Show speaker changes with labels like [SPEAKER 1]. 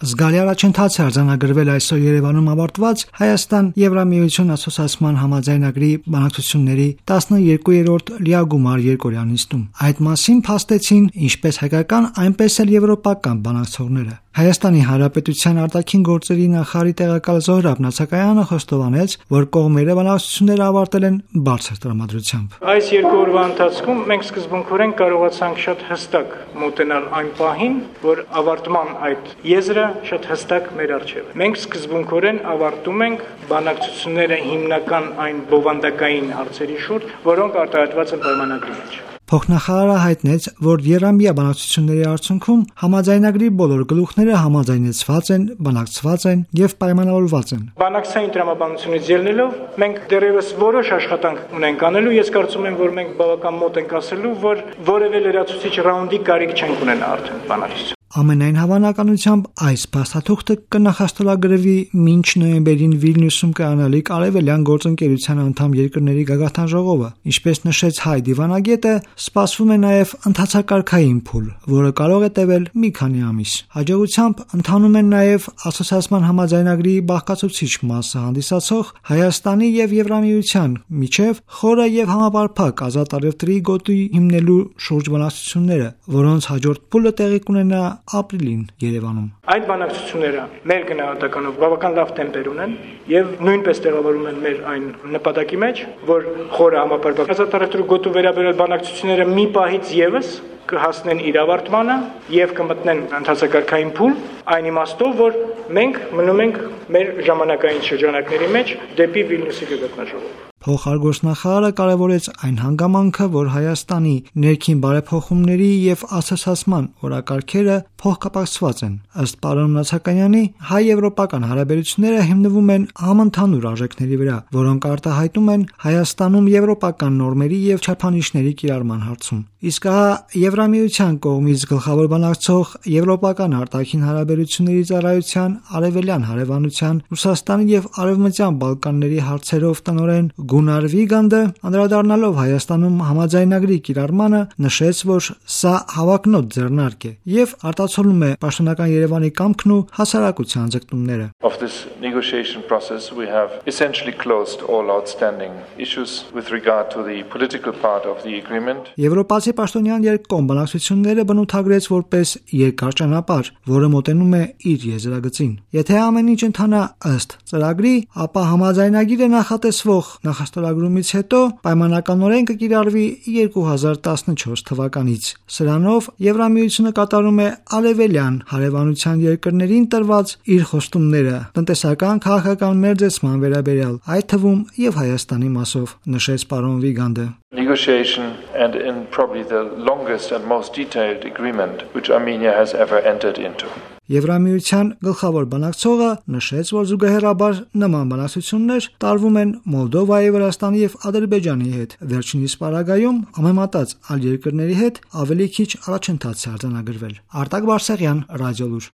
[SPEAKER 1] Զգալի առաջընթաց է արձանագրվել այսօր Երևանում ավարտված Հայաստան-Եվրամիություն ասոցիացիան համաձայնագրի բանակցությունների 12-րդ լիագումար երկօրյա նիստում։ Այդ մասին փաստեցին ինչպես հայկական, այնպես էլ եվրոպական բանակցողները։ Հայաստանի Հանրապետության արտաքին գործերի նախարարի տեղակալ Զոհրաբ Նացակայանը խոստովանեց, որ կողմերը բանակցությունները ավարտել են բարձր տրամադրությամբ։
[SPEAKER 2] Այս երկու օրվա ընթացքում մենք սկզբունքորեն կարողացանք շատ հստակ մոտենալ այն պահին, որ ավարտման այդ եզրը շատ հստակ մեր առջև է։ Մենք սկզբունքորեն ավարտում ենք բանակցությունները հիմնական այն բովանդակային հարցերի շուրջ, որոնք արտահայտված են պայմանագրի մեջ։
[SPEAKER 1] Փոխնախարարը հայտնեց, որ երամյա բանակցությունների արդյունքում համաձայնագրի բոլոր գլուխները համաձայնեցված են, բանակցված են եւ պայմանավորված են։
[SPEAKER 2] Բանակցային տրամաբանությունից ելնելով մենք դեռևս որոշ աշխատանք ունենք անելու, ես կարծում եմ, որ մենք բավական մոտ ենք ասելու, որ որևէ լրացուցիչ ռաունդի կարիք չենք ունենա արդեն բանակցություն։
[SPEAKER 1] Ամենայն հավանականությամբ այս փաստաթուղթը կնախաստորագրվի մինչ նոյեմբերին Վիլնյուսում կայանալիք Արևելյան գործընկերության անդամ երկրների գագաթան ժողովը։ Ինչպես նշեց Հայ դիվանագետը, սպասվում է նաև ընդհանցակարգային փուլ, որը կարող է տևել մի քանի ամիս։ Հաջողությամբ ընթանում են նաև ասոցիացիան համաձայնագրի բաղկացուցիչ մասը հանդիսացող Հայաստանի եւ Եվրամիության միջև խորը եւ համապարփակ ազատ առևտրի գոտի հիմնելու շուրջ բանակցությունները, որոնց հաջորդ փուլը տեղի կունենա ապրիլին Երևանում։
[SPEAKER 2] Այդ բանակցությունները մեր գնահատականով բավական լավ տեմպեր ունեն եւ նույնպես տեղավորում են մեր այն նպատակի մեջ, որ խորը համապարփակ ազատ առևտրի գոտու վերաբերյալ բանակցությունները մի պահից եւս կհասնեն իր ավարտմանը եւ կմտնեն ընդհանցակարգային փուլ, այն իմաստով, որ մենք մնում ենք մեր ժամանակային շրջանակների մեջ դեպի Վիլնյուսի գագաթնաժողով։
[SPEAKER 1] Փոխարգործնախարարը կարևորեց այն հանգամանքը, որ Հայաստանի ներքին բարեփոխումների եւ ասոցիացիան օրակարգերը փոխկապակցված են։ Ըստ պարոն Նացականյանի, հայ-եվրոպական հարաբերությունները հիմնվում են համընդհանուր արժեքների վրա, որոնք արտահայտում են Հայաստանում եվրոպական նորմերի եւ չափանիշների կիրառման հարցում։ Իսկ հա Եվրամիության կողմից գլխավոր բանակցող Եվրոպական արտաքին հարաբերությունների ծառայության արևելյան հարևանության Ռուսաստանի եւ Արևմտյան Բալկանների հարցերով տնօրեն Գունար Վիգանդը, անդրադառնալով Հայաստանում համաձայնագրի կիրառմանը, նշեց, որ սա հավակնոտ ձեռնարկ է եւ արտացոլում է պաշտոնական Երևանի կամքն ու հասարակության ձգտումները։
[SPEAKER 3] Of this negotiation process we have essentially closed all outstanding issues with regard to the political part of the agreement.
[SPEAKER 1] Եվրոպացի պաշտոնյան երկկողմ բանակցությունները բնութագրեց որպես երկար ճանապարհ, որը մոտենում է իր եզրագծին։ Եթե ամեն ինչ ընթանա ըստ ծրագրի, ապա համաձայնագիրը նախատեսվող նախաստորագրումից հետո պայմանականորեն կկիրառվի 2014 թվականից։ Սրանով Եվրամիությունը կատարում է արևելյան հարևանության երկրներին տրված իր խոստումները տնտեսական քաղաքական մերձեցման վերաբերյալ, այդ թվում եւ Հայաստանի մասով, նշեց պարոն Վիգանդը։
[SPEAKER 3] Negotiation and in probably the longest and most detailed agreement which Armenia has ever entered into.
[SPEAKER 1] Եվրամիության գլխավոր բանակցողը նշեց, որ զուգահեռաբար նման բանակցություններ տարվում են Մոլդովայի, Վրաստանի եւ Ադրբեջանի հետ։ Վերջինիս պարագայում համեմատած այլ երկրների հետ ավելի քիչ առաջընթաց է արձանագրվել։ Արտակ Բարսեղյան, Ռադիոլուր։